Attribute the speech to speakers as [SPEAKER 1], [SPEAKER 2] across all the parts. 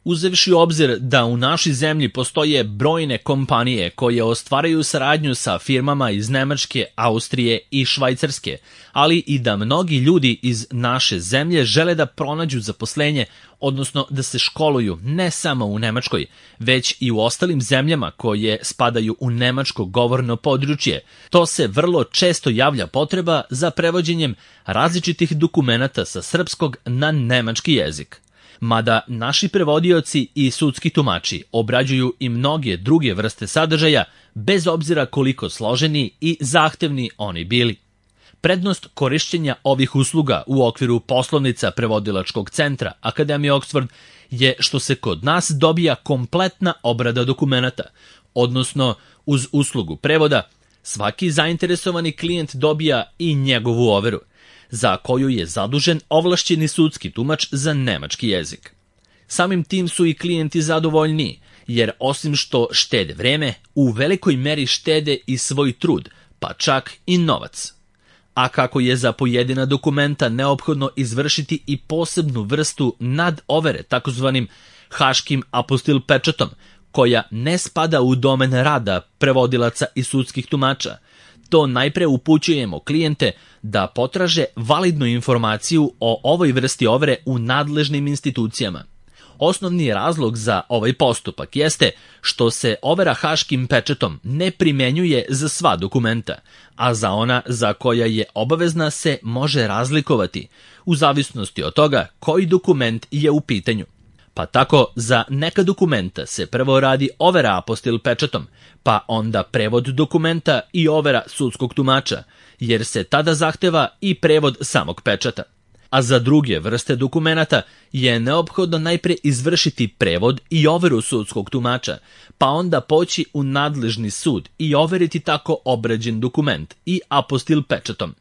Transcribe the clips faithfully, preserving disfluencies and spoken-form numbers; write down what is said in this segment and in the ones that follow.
[SPEAKER 1] Uzevši u obzir da u našoj zemlji postoje brojne kompanije koje ostvaraju saradnju sa firmama iz Nemačke, Austrije i Švajcarske, ali i da mnogi ljudi iz naše zemlje žele da pronađu zaposlenje, odnosno da se školuju ne samo u Nemačkoj, već i u ostalim zemljama koje spadaju u nemačko govorno područje, to se vrlo često javlja potreba za prevođenjem različitih dokumenata sa srpskog na nemački jezik. Mada naši prevodioci i sudski tumači obrađuju i mnoge druge vrste sadržaja, bez obzira koliko složeni i zahtevni oni bili. Prednost korišćenja ovih usluga u okviru poslovnica prevodilačkog centra Akademije Oxford je što se kod nas dobija kompletna obrada dokumenata, odnosno uz uslugu prevoda svaki zainteresovani klijent dobija i njegovu overu, za koju je zadužen ovlašćeni sudski tumač za nemački jezik. Samim tim su i klijenti zadovoljniji, jer osim što štede vreme, u velikoj meri štede i svoj trud, pa čak i novac. A kako je za pojedina dokumenta neophodno izvršiti i posebnu vrstu nadovere, takozvanim haškim apostil pečatom, koja ne spada u domen rada prevodilaca i sudskih tumača, to najpre upućujemo klijente da potraže validnu informaciju o ovoj vrsti overe u nadležnim institucijama. Osnovni razlog za ovaj postupak jeste što se overa haškim pečatom ne primenjuje za sva dokumenta, a za ona za koja je obavezna se može razlikovati, u zavisnosti od toga koji dokument je u pitanju. Pa tako za neka dokumenta se prvo radi overa apostil pečatom, pa onda prevod dokumenta i overa sudskog tumača, jer se tada zahteva i prevod samog pečata. A za druge vrste dokumenata je neophodno najpre izvršiti prevod i overu sudskog tumača, pa onda poći u nadležni sud i overiti tako obrađen dokument i apostil pečatom.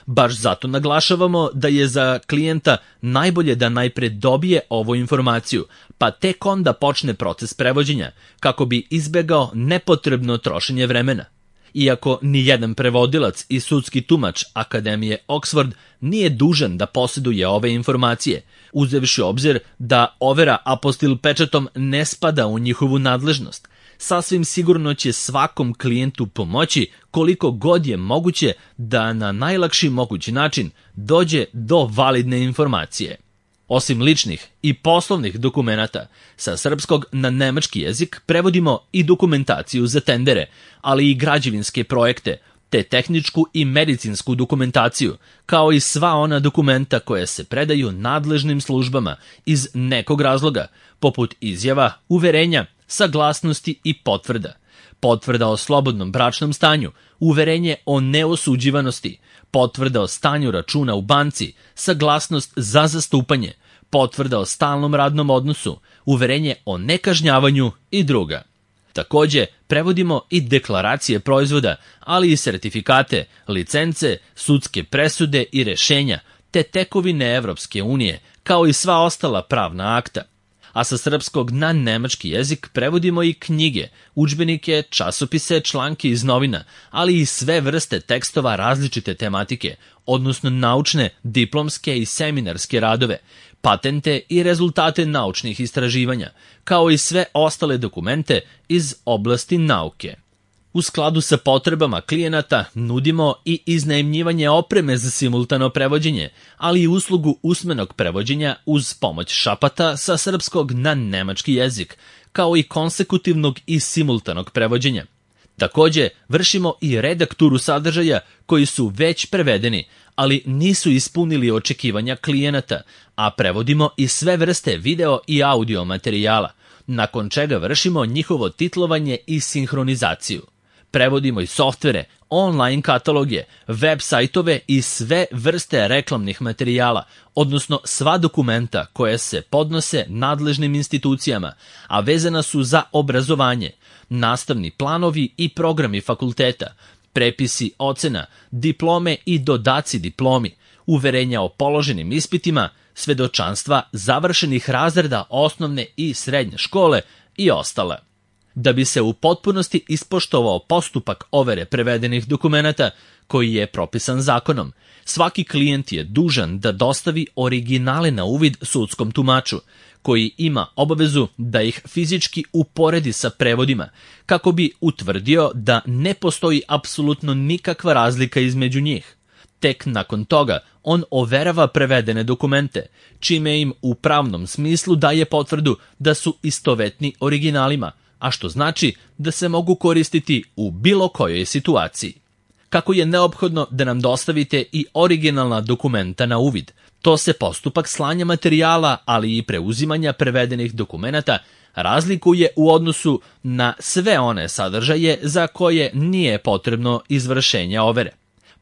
[SPEAKER 1] Baš zato naglašavamo da je za klijenta najbolje da najpre dobije ovu informaciju, pa tek onda počne proces prevođenja, kako bi izbegao nepotrebno trošenje vremena. Iako ni jedan prevodilac i sudski tumač Akademije Oxford nije dužan da posjeduje ove informacije, uzevši obzir da overa apostil pečatom ne spada u njihovu nadležnost, sasvim sigurno će svakom klijentu pomoći koliko god je moguće da na najlakši mogući način dođe do validne informacije. Osim ličnih i poslovnih dokumenata, sa srpskog na nemački jezik prevodimo i dokumentaciju za tendere, ali i građevinske projekte, te tehničku i medicinsku dokumentaciju, kao i sva ona dokumenta koja se predaju nadležnim službama iz nekog razloga, poput izjava, uverenja, saglasnosti i potvrda. Potvrda o slobodnom bračnom stanju, uverenje o neosuđivanosti, potvrda o stanju računa u banci, saglasnost za zastupanje, potvrda o stalnom radnom odnosu, uverenje o nekažnjavanju i druga. Takođe, prevodimo i deklaracije proizvoda, ali i sertifikate, licence, sudske presude i rešenja, te tekovine Evropske unije, kao i sva ostala pravna akta. A sa srpskog na nemački jezik prevodimo i knjige, udžbenike, časopise, članke iz novina, ali i sve vrste tekstova različite tematike, odnosno naučne, diplomske i seminarske radove, patente i rezultate naučnih istraživanja, kao i sve ostale dokumente iz oblasti nauke. U skladu sa potrebama klijenata nudimo i iznajmljivanje opreme za simultano prevođenje, ali i uslugu usmenog prevođenja uz pomoć šapata sa srpskog na nemački jezik, kao i konsekutivnog i simultanog prevođenja. Takođe, vršimo i redakturu sadržaja koji su već prevedeni, ali nisu ispunili očekivanja klijenata, a prevodimo i sve vrste video i audio materijala, nakon čega vršimo njihovo titlovanje i sinhronizaciju. Prevodimo i softvere, online kataloge, web sajtove i sve vrste reklamnih materijala, odnosno sva dokumenta koje se podnose nadležnim institucijama, a vezana su za obrazovanje, nastavni planovi i programi fakulteta, prepisi ocena, diplome i dodaci diplomi, uverenja o položenim ispitima, svedočanstva završenih razreda osnovne i srednje škole i ostale. Da bi se u potpunosti ispoštovao postupak overe prevedenih dokumenata koji je propisan zakonom, svaki klijent je dužan da dostavi originale na uvid sudskom tumaču, koji ima obavezu da ih fizički uporedi sa prevodima, kako bi utvrdio da ne postoji apsolutno nikakva razlika između njih. Tek nakon toga on overava prevedene dokumente, čime im u pravnom smislu daje potvrdu da su istovetni originalima, a što znači da se mogu koristiti u bilo kojoj situaciji. Kako je neophodno da nam dostavite i originalna dokumenta na uvid, to se postupak slanja materijala, ali i preuzimanja prevedenih dokumenata razlikuje u odnosu na sve one sadržaje za koje nije potrebno izvršenje overe.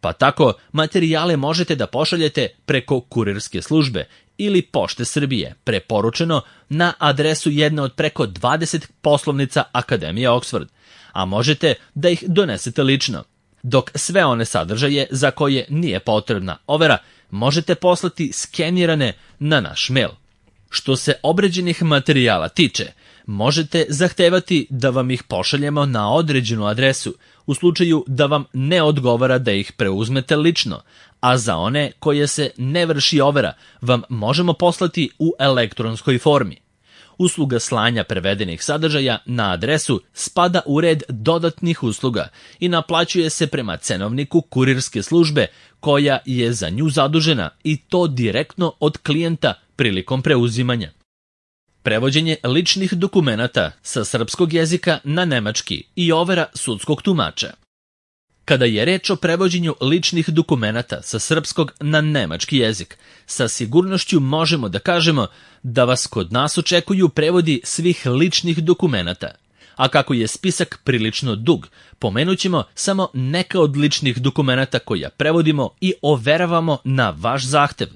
[SPEAKER 1] Pa tako materijale možete da pošaljete preko kurirske službe ili Pošte Srbije, preporučeno na adresu jedne od preko dvadeset poslovnica Akademije Oxford, a možete da ih donesete lično, dok sve one sadržaje za koje nije potrebna overa možete poslati skenirane na naš mail. Što se obrađenih materijala tiče, možete zahtevati da vam ih pošaljemo na određenu adresu u slučaju da vam ne odgovara da ih preuzmete lično, a za one koje se ne vrši overa vam možemo poslati u elektronskoj formi. Usluga slanja prevedenih sadržaja na adresu spada u red dodatnih usluga i naplaćuje se prema cenovniku kurirske službe koja je za nju zadužena, i to direktno od klijenta prilikom preuzimanja. Prevođenje ličnih dokumenata sa srpskog jezika na nemački i overa sudskog tumača. Kada je reč o prevođenju ličnih dokumenata sa srpskog na nemački jezik, sa sigurnošću možemo da kažemo da vas kod nas očekuju prevodi svih ličnih dokumenata. A kako je spisak prilično dug, pomenut ćemo samo neka od ličnih dokumenata koja prevodimo i overavamo na vaš zahtev.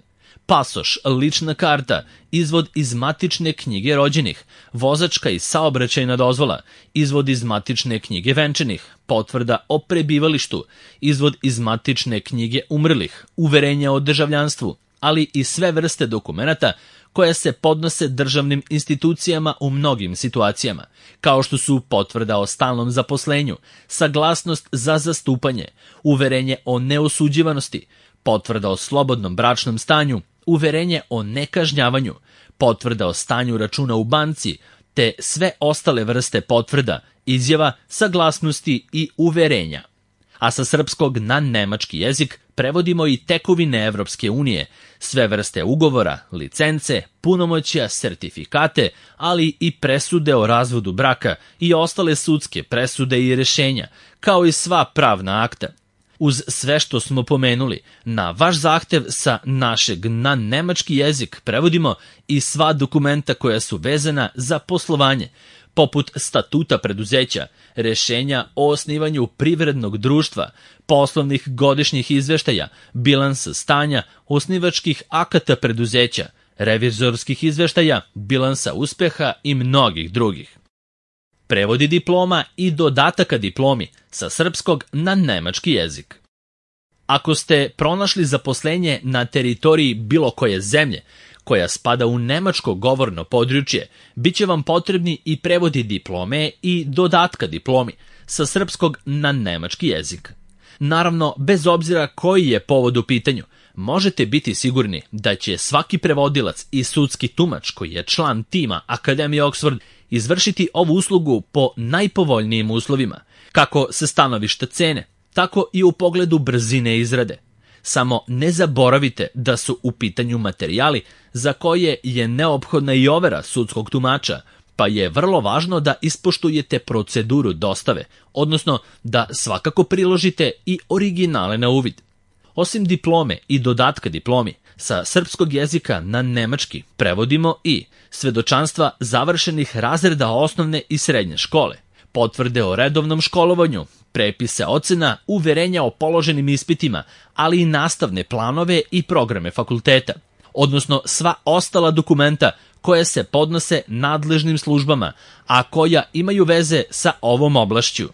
[SPEAKER 1] Pasoš, lična karta, izvod iz matične knjige rođenih, vozačka i saobraćajna dozvola, izvod iz matične knjige venčanih, potvrda o prebivalištu, izvod iz matične knjige umrlih, uverenja o državljanstvu, ali i sve vrste dokumenata koje se podnose državnim institucijama u mnogim situacijama, kao što su potvrda o stalnom zaposlenju, saglasnost za zastupanje, uverenje o neosuđivanosti, potvrda o slobodnom bračnom stanju, uverenje o nekažnjavanju, potvrda o stanju računa u banci, te sve ostale vrste potvrda, izjava, saglasnosti i uverenja. A sa srpskog na nemački jezik prevodimo i tekovine Evropske unije, sve vrste ugovora, licence, punomoćja, sertifikate, ali i presude o razvodu braka i ostale sudske presude i rešenja, kao i sva pravna akta. Uz sve što smo pomenuli, na vaš zahtev sa našeg na nemački jezik prevodimo i sva dokumenta koja su vezana za poslovanje, poput statuta preduzeća, rešenja o osnivanju privrednog društva, poslovnih godišnjih izveštaja, bilansa stanja, osnivačkih akata preduzeća, revizorskih izveštaja, bilansa uspeha i mnogih drugih. Prevodi diploma i dodataka diplomi sa srpskog na nemački jezik. Ako ste pronašli zaposlenje na teritoriji bilo koje zemlje koja spada u nemačko govorno područje, bit će vam potrebni i prevodi diplome i dodatka diplomi sa srpskog na nemački jezik. Naravno, bez obzira koji je povod u pitanju, možete biti sigurni da će svaki prevodilac i sudski tumač koji je član tima Akademije Oxford izvršiti ovu uslugu po najpovoljnijim uslovima, kako sa stanovišta cene, tako i u pogledu brzine izrade. Samo ne zaboravite da su u pitanju materijali za koje je neophodna i overa sudskog tumača, pa je vrlo važno da ispoštujete proceduru dostave, odnosno da svakako priložite i originale na uvid. Osim diplome i dodatka diplomi, sa srpskog jezika na nemački prevodimo i svedočanstva završenih razreda osnovne i srednje škole, potvrde o redovnom školovanju, prepise ocena, uverenja o položenim ispitima, ali i nastavne planove i programe fakulteta, odnosno sva ostala dokumenta koje se podnose nadležnim službama, a koja imaju veze sa ovom oblašću.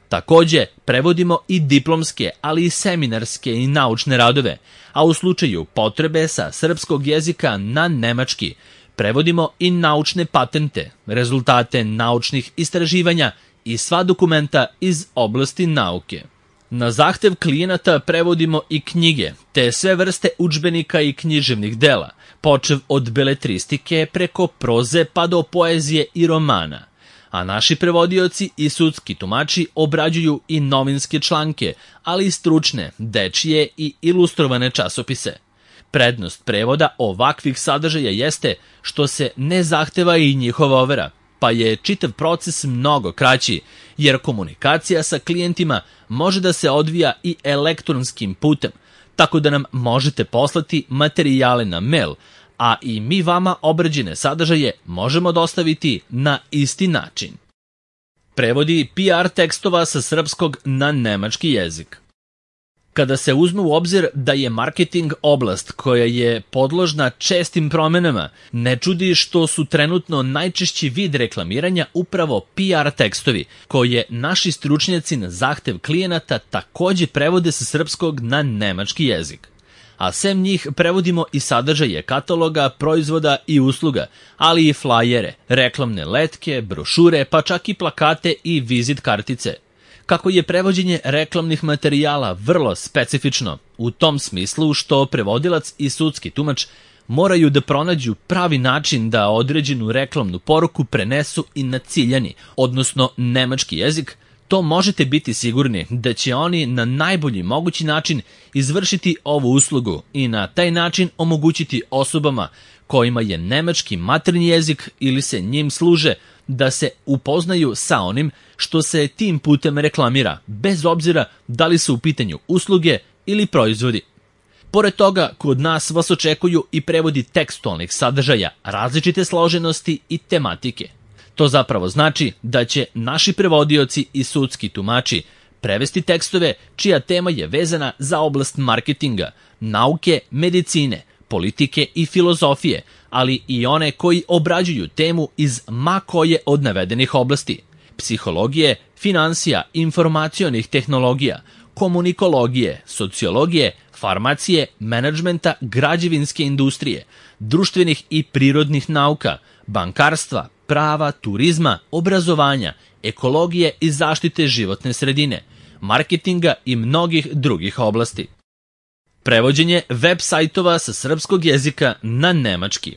[SPEAKER 1] Takođe, prevodimo i diplomske, ali i seminarske i naučne radove, a u slučaju potrebe sa srpskog jezika na nemački, prevodimo i naučne patente, rezultate naučnih istraživanja i sva dokumenta iz oblasti nauke. Na zahtev klijenata prevodimo i knjige, te sve vrste udžbenika i književnih dela, počev od beletristike preko proze pa do poezije i romana, a naši prevodioci i sudski tumači obrađuju i novinske članke, ali i stručne, dečije i ilustrovane časopise. Prednost prevoda ovakvih sadržaja jeste što se ne zahteva i njihova overa, pa je čitav proces mnogo kraći, jer komunikacija sa klijentima može da se odvija i elektronskim putem, tako da nam možete poslati materijale na mail, a i mi vama obrađene sadržaje možemo dostaviti na isti način. Prevodi P R tekstova sa srpskog na nemački jezik. Kada se uzme u obzir da je marketing oblast koja je podložna čestim promenama, ne čudi što su trenutno najčešći vid reklamiranja upravo P R tekstovi, koje naši stručnjaci na zahtev klijenata takođe prevode sa srpskog na nemački jezik. A sem njih prevodimo i sadržaje kataloga, proizvoda i usluga, ali i flajere, reklamne letke, brošure, pa čak i plakate i vizit kartice. Kako je prevođenje reklamnih materijala vrlo specifično, u tom smislu što prevodilac i sudski tumač moraju da pronađu pravi način da određenu reklamnu poruku prenesu i na ciljani, odnosno nemački jezik, to možete biti sigurni da će oni na najbolji mogući način izvršiti ovu uslugu i na taj način omogućiti osobama kojima je nemački maternji jezik ili se njim služe da se upoznaju sa onim što se tim putem reklamira, bez obzira da li su u pitanju usluge ili proizvodi. Pored toga, kod nas vas očekuju i prevodi tekstualnih sadržaja različite složenosti i tematike. To zapravo znači da će naši prevodioci i sudski tumači prevesti tekstove čija tema je vezana za oblast marketinga, nauke, medicine, politike i filozofije, ali i one koji obrađuju temu iz ma koje od navedenih oblasti: psihologije, finansija, informacionih tehnologija, komunikologije, sociologije, farmacije, menadžmenta, građevinske industrije, društvenih i prirodnih nauka, bankarstva, prava, turizma, obrazovanja, ekologije i zaštite životne sredine, marketinga i mnogih drugih oblasti. Prevođenje web sajtova sa srpskog jezika na nemački.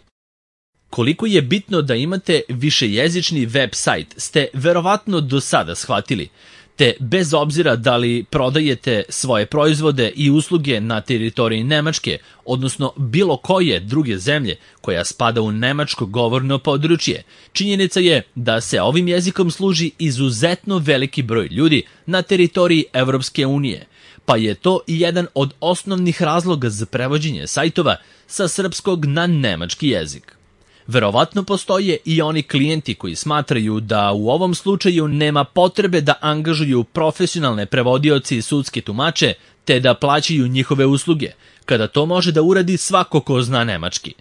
[SPEAKER 1] Koliko je bitno da imate višejezični web sajt ste verovatno do sada shvatili, te bez obzira da li prodajete svoje proizvode i usluge na teritoriji Nemačke, odnosno bilo koje druge zemlje koja spada u nemačko govorno područje, činjenica je da se ovim jezikom služi izuzetno veliki broj ljudi na teritoriji Evropske unije, pa je to i jedan od osnovnih razloga za prevođenje sajtova sa srpskog na nemački jezik. Verovatno postoje i oni klijenti koji smatraju da u ovom slučaju nema potrebe da angažuju profesionalne prevodioci i sudske tumače, te da plaćaju njihove usluge, kada to može da uradi svako ko zna nemački.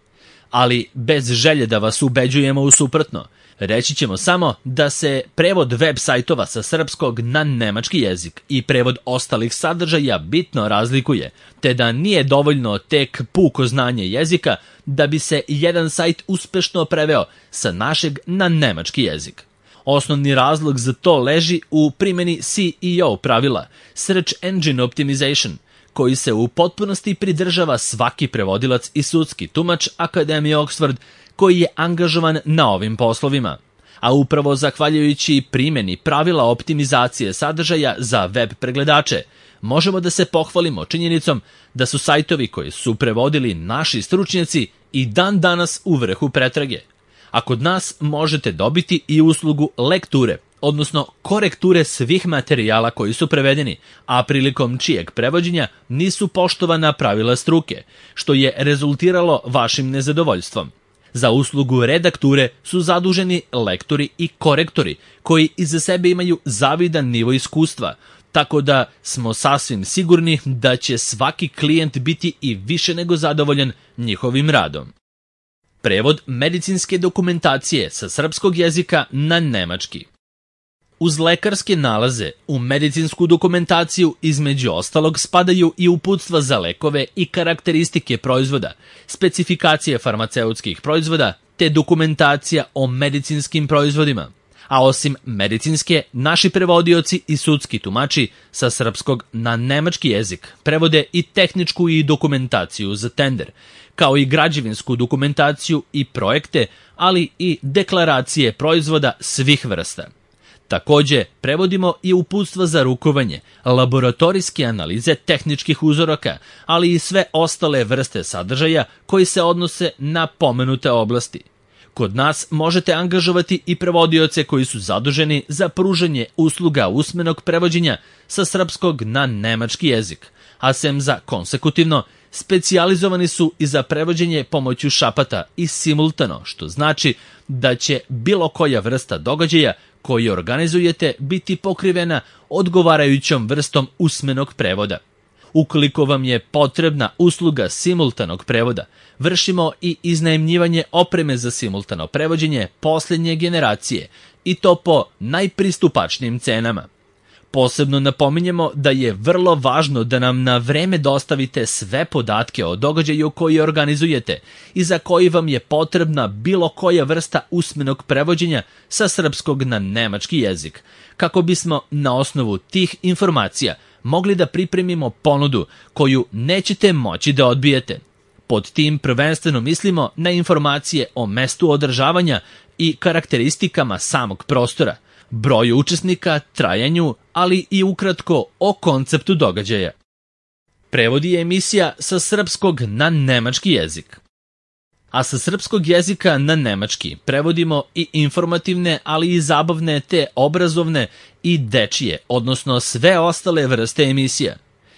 [SPEAKER 1] Ali bez želje da vas ubeđujemo u suprotno, reći ćemo samo da se prevod web sajtova sa srpskog na nemački jezik i prevod ostalih sadržaja bitno razlikuje, te da nije dovoljno tek puko znanje jezika da bi se jedan sajt uspešno preveo sa našeg na nemački jezik. Osnovni razlog za to leži u primjeni S E O pravila, Search Engine Optimization, koji se u potpunosti pridržava svaki prevodilac i sudski tumač Akademije Oxford koji je angažovan na ovim poslovima. A upravo zahvaljujući primjeni pravila optimizacije sadržaja za web pregledače, možemo da se pohvalimo činjenicom da su sajtovi koji su prevodili naši stručnjaci i dan danas u vrhu pretrage. A kod nas možete dobiti i uslugu lekture, odnosno korekture svih materijala koji su prevedeni, a prilikom čijeg prevođenja nisu poštovana pravila struke, što je rezultiralo vašim nezadovoljstvom. Za uslugu redakture su zaduženi lektori i korektori, koji iza sebe imaju zavidan nivo iskustva, tako da smo sasvim sigurni da će svaki klijent biti i više nego zadovoljan njihovim radom. Prevod medicinske dokumentacije sa srpskog jezika na nemački. Uz lekarske nalaze u medicinsku dokumentaciju između ostalog spadaju i uputstva za lekove i karakteristike proizvoda, specifikacije farmaceutskih proizvoda te dokumentacija o medicinskim proizvodima. A osim medicinske, naši prevodioci i sudski tumači sa srpskog na nemački jezik prevode i tehničku i dokumentaciju za tender, kao i građevinsku dokumentaciju i projekte, ali i deklaracije proizvoda svih vrsta. Takođe, prevodimo i uputstva za rukovanje, laboratorijske analize tehničkih uzoraka, ali i sve ostale vrste sadržaja koji se odnose na pomenute oblasti. Kod nas možete angažovati i prevodioce koji su zaduženi za pružanje usluga usmenog prevođenja sa srpskog na nemački jezik, a sem za konsekutivno, specijalizovani su i za prevođenje pomoću šapata i simultano, što znači da će bilo koja vrsta događaja koji organizujete biti pokrivena odgovarajućom vrstom usmenog prevoda. Ukoliko vam je potrebna usluga simultanog prevoda, vršimo i iznajmljivanje opreme za simultano prevođenje posljednje generacije i to po najpristupačnijim cenama. Posebno napominjemo da je vrlo važno da nam na vreme dostavite sve podatke o događaju koji organizujete i za koji vam je potrebna bilo koja vrsta usmenog prevođenja sa srpskog na nemački jezik, kako bismo na osnovu tih informacija mogli da pripremimo ponudu koju nećete moći da odbijete. Pod tim prvenstveno mislimo na informacije o mestu održavanja i karakteristikama samog prostora, broju učesnika, trajanju, ali i ukratko o konceptu događaja. Prevodi je emisija sa srpskog na nemački jezik. A sa srpskog jezika na nemački prevodimo i informativne, ali i zabavne te obrazovne i dečije, odnosno sve ostale vrste emisija.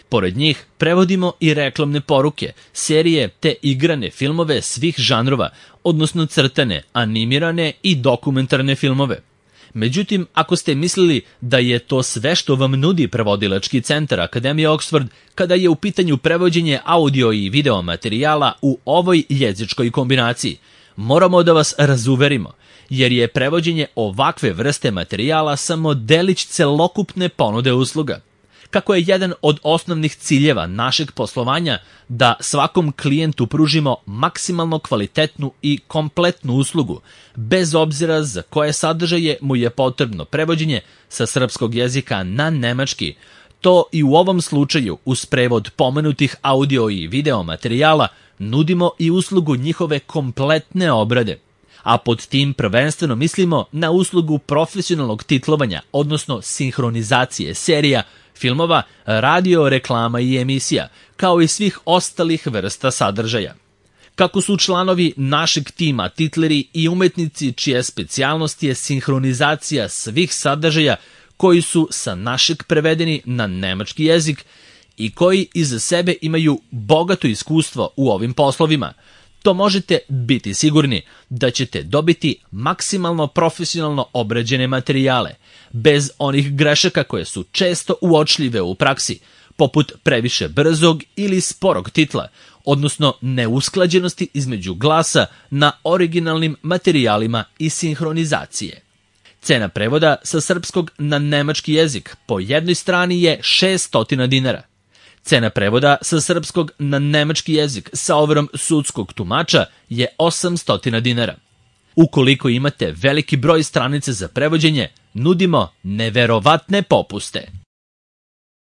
[SPEAKER 1] Pored njih prevodimo i reklamne poruke, serije te igrane filmove svih žanrova, odnosno crtane, animirane i dokumentarne filmove. Međutim, ako ste mislili da je to sve što vam nudi prevodilački centar Akademije Oxford kada je u pitanju prevođenje audio i video materijala u ovoj jezičkoj kombinaciji, moramo da vas razuverimo, jer je prevođenje ovakve vrste materijala samo delić celokupne ponude usluga. Kako je jedan od osnovnih ciljeva našeg poslovanja da svakom klijentu pružimo maksimalno kvalitetnu i kompletnu uslugu, bez obzira za koje sadržaje mu je potrebno prevođenje sa srpskog jezika na nemački, to i u ovom slučaju uz prevod pomenutih audio i video materijala nudimo i uslugu njihove kompletne obrade. A pod tim prvenstveno mislimo na uslugu profesionalnog titlovanja, odnosno sinhronizacije serija, filmova, radio, reklama i emisija, kao i svih ostalih vrsta sadržaja. Kako su članovi našeg tima titleri i umetnici čija specijalnost je sinhronizacija svih sadržaja koji su sa našeg prevedeni na nemački jezik i koji iza sebe imaju bogato iskustvo u ovim poslovima, to možete biti sigurni da ćete dobiti maksimalno profesionalno obrađene materijale, bez onih grešaka koje su često uočljive u praksi, poput previše brzog ili sporog titla, odnosno neusklađenosti između glasa na originalnim materijalima i sinhronizacije. Cena prevoda sa srpskog na nemački jezik po jednoj strani je šessto dinara. Cena prevoda sa srpskog na nemački jezik sa overom sudskog tumača je osamsto dinara. Ukoliko imate veliki broj stranice za prevođenje, nudimo neverovatne popuste.